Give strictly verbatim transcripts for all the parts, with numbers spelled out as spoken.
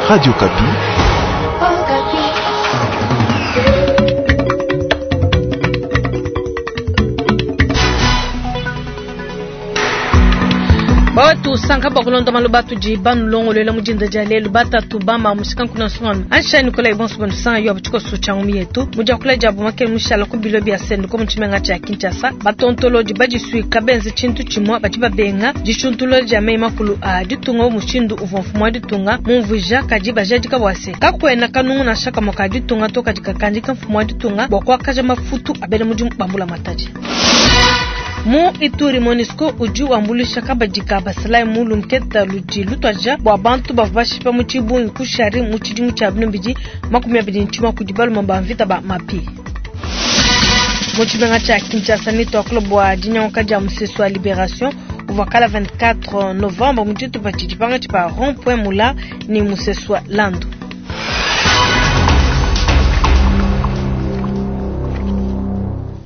Radio Okapi. Bawatu sanka bakulonda maloba tudi banulongolwela mudinda dia lelu batatu bama musika nkuna nsongano ansha Nicolas Ibonso banusanga yo abuchikoso changu mietu mujakula jabu makele mushala ku bilo bia sendu ko muchimenga cha Kinshasa batontoloji badisuika benze chintu chimwa badi babenga dishuntulula dia meyi makulu a ditunga mushindu uvua mfumu wa ditunga mumvuija kadi bajadika bwase kakwena kanungu na shaka moka ditunga to kadi kakandika mfumu wa ditunga bwa kuakaja mafutu abele mudimu bambula matadi. Mu Ituri MONUSCO udi wambulisha kabadika basalai mulu mketa ludi lutwaja bwa bantu bavua bashipa mu tshibungi kushari mu tshidimu tshia binombidi makumi abidi ntshima kudi baluma ba mvita ba mapi. Mu tshimenga tshia Kinshasa ni twakula bwa dinyanguka dia musesu wa Liberation uvua kala vingt-quatre novembre mu tshitupa tshidi pangatshi pa rond-point Mula ni musesu wa Landu.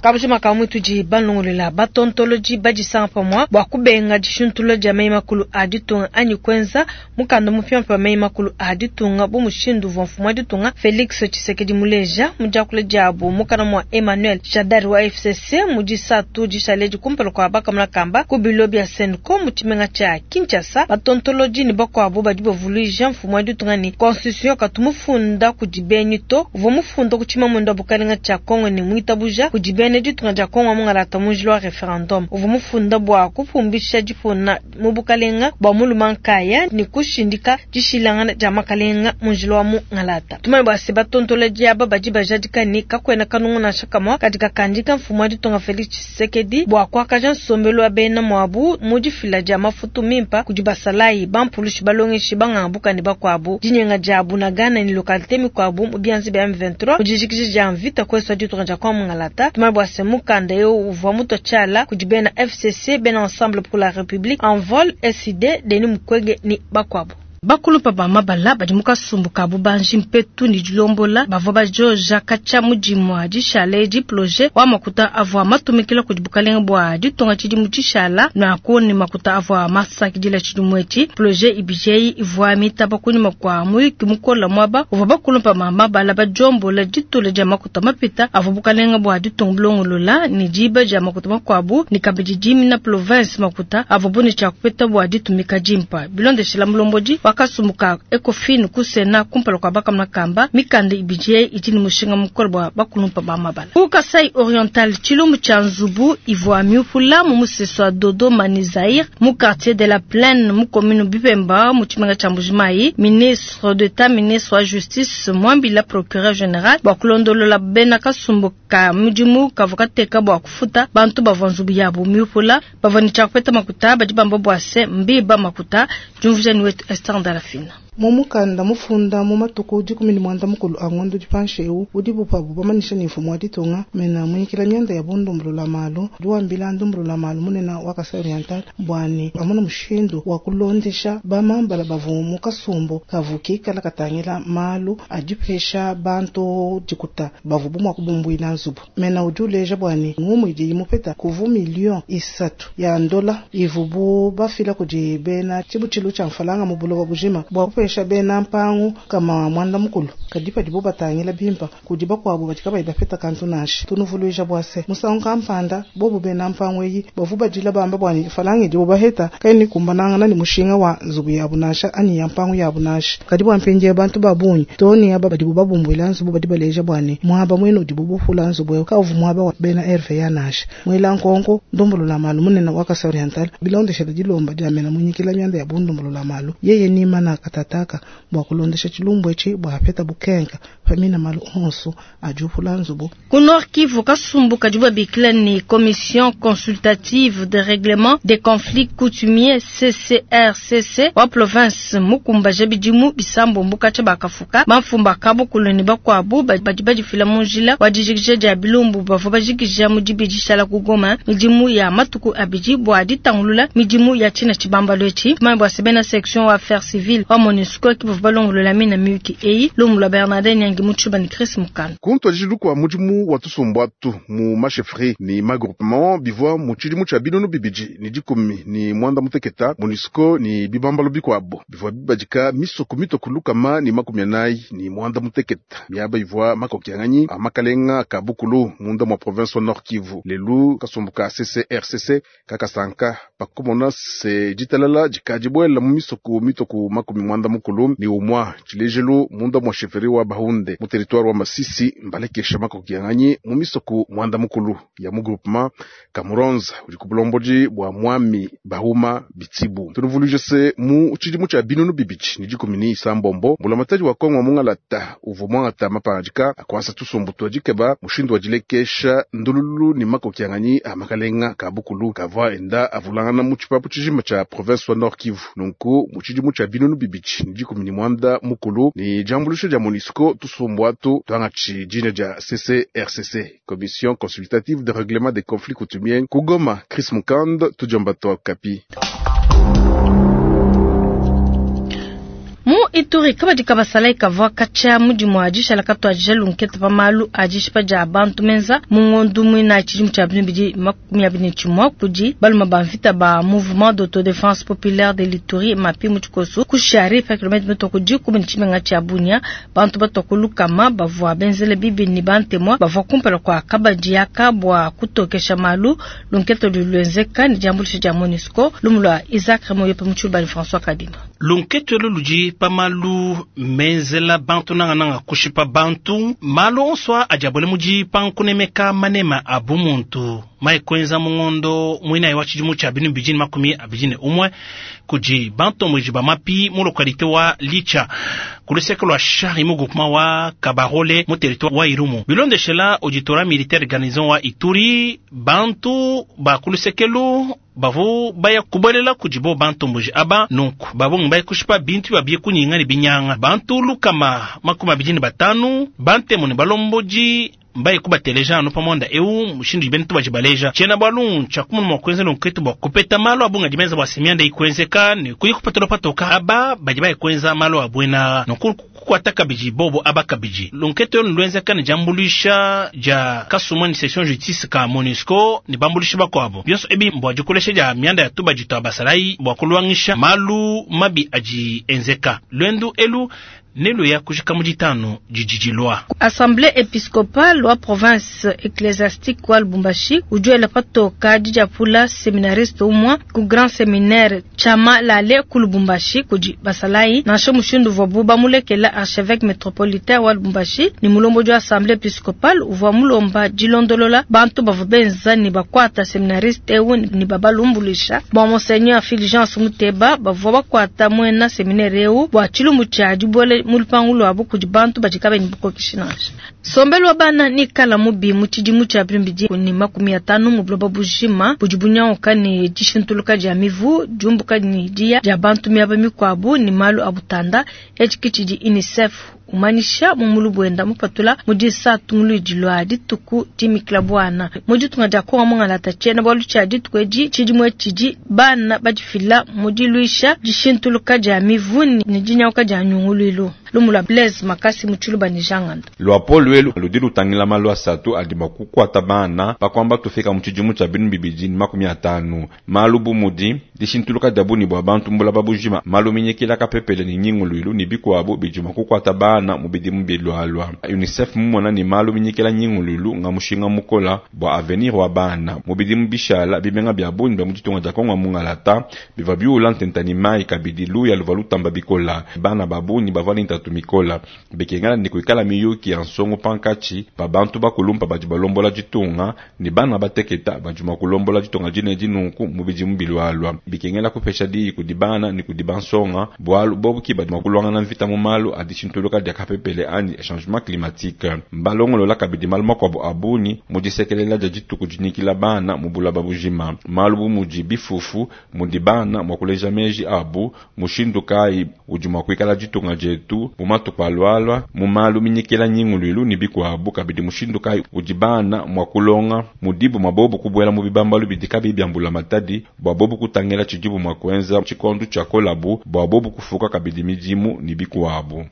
Kabujima ka tudi banlongolela batontoloji badisanga pamwa bwa kubenga dishuntulula dia meyi makulu a ditunga anyi kwenza mukanda mupyampa wa meyi makulu a ditunga bu mushindu uvua mfumu wa ditunga Felix Tshisekedi muleja mudiakula diabu mukana mwa Emmanuel Shadary wa F C C mudisatu dishale dikumpala kwa bakamuna kamba ku bilo bia Senco mu tshimenga tshia Kinshasa. Batontoloji ni bakuabu badi bavuluija mfumu wa ditunga ni constitution katumufunda kudi benyi to uvua mufunda ku tshimamunda bukalenga tshia Kongo ni mwitabuja kudi benyi ditunga dia Kongo mungalata munjilo wa referendum uvua mufunda bwa kupumbisha dipona mu bukalenga bwa muluma nkaya ni kushindika dishilangana dia makalenga munjilo wa mungalata. Tumanye bwa se batontola diaba badi bajadika ni kakwena kanungu na shakamwa katika kandika mfumu wa ditunga Felix Tshisekedi bwa kuakaja nsombelu wa bena mwabu mu difila dia mafutu mimpa kudi basalayi bampulushi balongeshi bangambuka ni bakuabu dinyenga dia Bunagana ni lokalite mikuabu mu bianzi bya M vingt-trois mujijikiji dia mvita kweswa ditunga dia Kongo mungalata. Tumanye bwa se mukanda yo uvua muto tshala kudi bena F C C bena Ensemble pour la République en vol S I D Denis Mukwege ni bakuabu. Bakulupa ba mabala badi mukasumbuka bubanji mpetu ni dilombola bavua bajoja kacha mudimu wa dishale di projet wa makuta avua matumikila kudi bukalenga bwa ditunga tshidi mu dishala na koni makuta avua masakidila tshidimu etshi projet ibijei ivua mitaba kunyima kwa muyuki mukola mwaba uvua bakulupa ba mabala bajombola ditula dia makuta mapita avua bukalenga bwa ditunga bulongolola ni diba dia makuta makuabu ni kabidi dimina province makuta avua bune tshia kupeta bwa ditumika dimpa bilondeshela mulombodi wakasumbuka Ecofin kusena kumpala kwa bakamna kamba mikanda ibije itini mushinga mukolo bwa bakulumpa ba mabala. Ku Kasai Oriental chilumbu cha nzubu ivua miupula mu musesu wa Dodoma ni Zaire mu quartier de la Plaine mu commune Bipemba mu tshimenga tsha Mbujimayi. Ministre d'État ministre wa Justice Mwambila procureur général bwa kulondolola bena kasumbuka mudimu kavukateka bwa kufuta bantu bavua nzubu yabu miupula bavua ni tshakupeta makuta badi bamba bwa se mbiba makuta jumvuja ni wetu Esther Ndalafina. Mumukanda mufunda mu matuku dikumi ni mwanda mukulu a ngondo dipanshe udi bupabu bamanisha ni mfumu wa ditunga mena munyikila myanda ya bundumbulula malu diwambila ndumbulula malu munena wa Kasai Oriental bwani amuna mushindu wa kulondesha bamambala bavu mu kasumbu kavuki kala katangila malu adipesha bantu dikuta bavu bumwa kubumbuila nzubu mena udi uleja bwani ngumu idi imupeta kuvu million isatu ya ndola ivubu bafila kudi bena tshibutshilu tsha mfalanga mu buloba bujima bwa kupesha bena mpangu kama mwanda mukulu kadipa dibo batangila bimpa kudi bakuabu batika bapeta kantu nashi tunuvuluija bwase musangu kampanda bobu bena mpangu eyi bavu badila bamba bwani falangi dibo baheta kaini kumbananga ni mushinga wa nzubu yabu nasha ani ya mpangu yabu nashi kadi bwa mpenje bantu babunyi toni aba badibo babumbuila nzubu badi baleja bwani mwaba mwenu dibo bufula nzubu kavu mwaba wa bena R V ya nashi mwela nkonko ndombolola malu munene wa Kasai Oriental bilondesha dilomba dia mena munyikila myanda ya bundombolola malu yeye ni mana katata bwa kulondesha chilumbu echi bwa peta bukenka pamina malu onso ajupula nzubu. Ku Nord Kivu kasumbu kadibu bikila ni Commission consultative de règlement des conflits coutumiers C C R C C wa province mukumba jabidimu bisambo mbuka cha bakafuka bamfumba kabo kuloni bakwabu badi badifila munjila wa dijikija dia bilumbu bavua bajikija mu dibidishala ku Goma midimu ya matuku abidi bwa ditangulula midimu ya china chibambalo echi mabwa sebena section wa affaires civiles wa MONUSCO MONUSCO ki bavua balongolola mina miyuki eyi lumu lua Bernardin Nyangi mu tshiluba ne Chris Mukanda. Kuntuadijilu kua mudimu wa tusumbu atu mu machefferie ni magroupement bivua mu tshidimu tshia binunu bibidi ni dikumi ni mwanda muteketa MONUSCO ni bibambalo bikuabo bivua bibadika misoko mitoku lukama ni makumi anayi ni mwanda muteketa miaba ivua makokianganyi a makalenga ka bukulu munda mwa province wa Nord Kivu lelu kasumbu ka C C R C C kakasanka pakumona se ditalala dikadi buela mu misoko mitoku makumi mwanda mukulu ni umwa tshilejelu munda mwa chefferie wa Bahunde mu territoire wa Masisi mbalekesha makokianganyi mu misoko mwanda mukulu ya mu groupement Kamuronza udi ku bulombodi bua mwami Bahuma Bitsibu. Tunuvuluije se mu tshidimu tshia binunu bibidi ni dikumi ni isambombo mbulamatadi wa Kongo mungalata uvua mwangata mapangadika akuasa tusumbu tua dikeba mushindu wa dilekesha ndululu ni makokianganyi a makalenga ka bukulu kavua enda avulangana mu tshipapu tshijima tshia province wa Nord Kivu. Nunku mu tshidimu tshia binunu bibidi ni dikumi ni mwanda mukulu ni diambuluisha dia MONUSCO tusumbu atu tuangatshi dina dia C C R C C, Commission Consultative de Règlement des Conflits Coutumiers. Ku Goma, Chris Mukand, tudiomba twa Okapi. Mu Ituri kabadi kabasalayi kavua katshia mudimu wa dishala katuadija lunketa pa malu a dishipa dia bantu menza mu ngondu muinayi tshidimu tshia bibidi makumi abidi ne tshimue kudi baluma ba mvita ba Mouvement d'autodéfense populaire de l'Ituri MAPI mu tshikosu ku Shari pa kilomètre mitoko dikumi ne tshimenga tshia Bunia. Bantu batwa lukama bavua benzele bibi ni bantemwa bavua kumpala kua kabadi yaka bua kutokesha malu. Lunketa luluenzeka ni diambuluisha dia MONUSCO. Lumu lua Isaac Remoyope mu tshiluba ne François Kadima. Lunketelo ludi pa malu menzela bantu nangananga kushipa bantu malu onso adi abole mudi pankunemeka manema a bumuntu mai kuenza mungondo muinayi wa tshidimu tshia binu bibidi ne makumi abidi ne umue kudi bantomboji ba MAPI mu localité wa Licha ku luseke lua Shari mu groupement wa Kabarole mu territoire wa Irumu. Bilondeshela auditorat militaire garnison wa Ituri, bantu ba ku lusekelu bavu baya kubolela kudibo bantomboji aba nunku babongi baya kushipa bintu babie kunyinga ne binyanga bantu lukama makumi abidi ne batanu bantemu ne balomboji mbaye kubateleja anu pamonda eu mushindu ibeni tubaji baleja tshiena bwalu tshia kumunu mua kuenza nunketu bua kupeta malu abunga dimenza bua semianda ikuenzeka ne kuyi kupetela patoka aba badi baye kuenza malu abuena nunku kukwata kabidi bobo aba kabidi lunketu elu luenzeka ne diambuluisha dia kasumwa ni section justice ka MONUSCO ne bambuluishi bakuabo bionso ebi mbua dikolesha dia mianda ya tubadi tua basalayi bua kulwangisha malu mabi adi enzeka. Lwendu elu nelu ya kujika mu ditanu didi dilua. Assemblée épiscopale wa province ecclésiastique wa Lubumbashi ujuela patoka didiapula séminariste umwa ku grand séminaire Chama Lale ku Lubumbashi kudi basalayi nansha mushindu uvua bamulekela. Archevêque métropolitain wa Lubumbashi ni mulomboji wa assemblée épiscopale uvua mulomba dilondolola bantu bavua benza ni bakwata séminariste eu ni babalumbulisha. Bua monseigneur Fulgence Muteba, bavua bakwata mwena séminaire eu bua tshilumbu tshia dibuele mu lupangu lwabo kudi bantu badi kabayi bukokeshi nansha. Sombelu wa bana ni kala mubi mu tshidimu tshia bibidi ni makumi atanu mu buloba bujima budi bunyanguka ne dishintuluka dia mivu, diumbuka ni diya dia bantu miaba mikuabu ni malu a butanda. Etshi tshidi UNICEF umanyisha mu mulu bwenda mupatula mu disatu muludi lwa dituku dimikila bwana mu ditunga dia Kongo mungalata. Tshiena bualu tshia dituku edi tshidimu tshidi bana badifila mu diluisha dishintuluka dia mivu ni dinyanguka dia nyunguluilu. Lumu lua Blaise Makasi mu tshiluba ne Janganda. Luapolo elu ludi lutangila malu asatu adi mua kukuata bana pakuamba tufika mu tshidimu tshia binu bibidi ne makumi atanu. Malu bu mudi dishintuluka dia buni bua bantu mbulaba bujima, malu minyikila kapepele ne nyinguluilu ne bikuabu bidi mua kukuata bana mu bidimu bilualua. UNICEF mumona ni malu minyikila nyinguluilu nga mushinga mukola bua avenir wa bana. Mu bidimu bishala bimenga bia buni bia mu ditunga dia Kongo mungalata biva biula ntenta ni mai kabidi luya luva lutamba bikola. Bana ba bungi bavua ne ntatu mikola bekengana ni kuikala miyuki ya nsongo pankatshi pa bantu bakulumpa badi balombola ditunga ni bana bateketa badi mua kulombola ditunga dine dinunku mu bidimu bilualua. Bikengela kupesha diyi kudi bana ni kudi bansonga bualu bobu ki badi mua kulwangana mvita mu malu a dishintuluka dia kapepele anyi changement climatique. Mbalongolola kabidi malu makuabu a bungi mu disekelela dia dituku dinyikila bana mu bulaba bujima, malu bu mudi bifufu mudi bana mua kuleja meji abu mushindu kayi udi mua kuikala ditunga dietu. bantu mu matuku alualua mu malu minyikila nyinguluilu ne bikuabu kabidi mushindu kayi udi bana mua kulonga mudibu mua bobu kubuela mu bibambalu bidi kabiyi bia mbulamatadi bua bobu kutangila tshidibu mua kuenza tshikondo tshia kolabu bua bobu kufuka kabidi midimu ne bikuabu.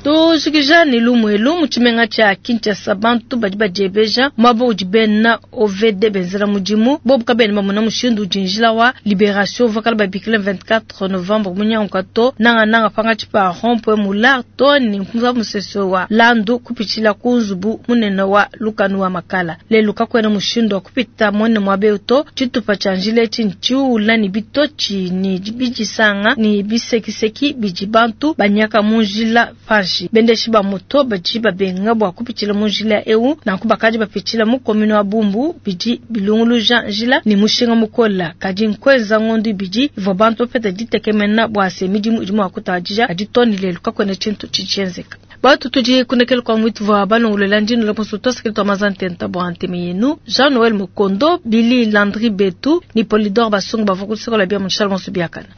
Tujikija ne lumuelu mu tshimenga tshia Kinshasa bantu badi badiebeja muaba udi bena O V D benzela mudimu bobu kabena bamona mushindu udi njila wa Liberation uvua kala babikila vingt-quatre novembre munyanguka to nangananga pangatshi pa rond-point Moulard to ne musese wa Landu kupitshila ku nzubu munene wa lukanu wa Makala. Lelu kakuena mushindu wa kupita muene muaba eu to. Tshitupa tshia njila etshi ntshiula ne bitotshi ne bidisanga ne bisekiseki bidi bantu banyaka mu njila panshi. Bendeshi ba moto badi babenga bua kupitshila mu njila eu, nanku bakadi bapitshila mu commune wa Bumbu bidi bilunguluja njila ne mushinga mukola. Kadi nkuenza ngondo ibidi ivua bantu bapeta ditekemena bua se midimu idi mua kutadija, kadi to ne lelu kakuena tshintu tshitshienzeka. Batu tudi kunekele kwa mwitu vwa balongolola ndino la musu tosikili twa mazantenta bua nteme yenu Jean Noël Mukondo, Billy Landry Betu ni Polidor Basungu bavua kusekola bia mu Charles Biakana.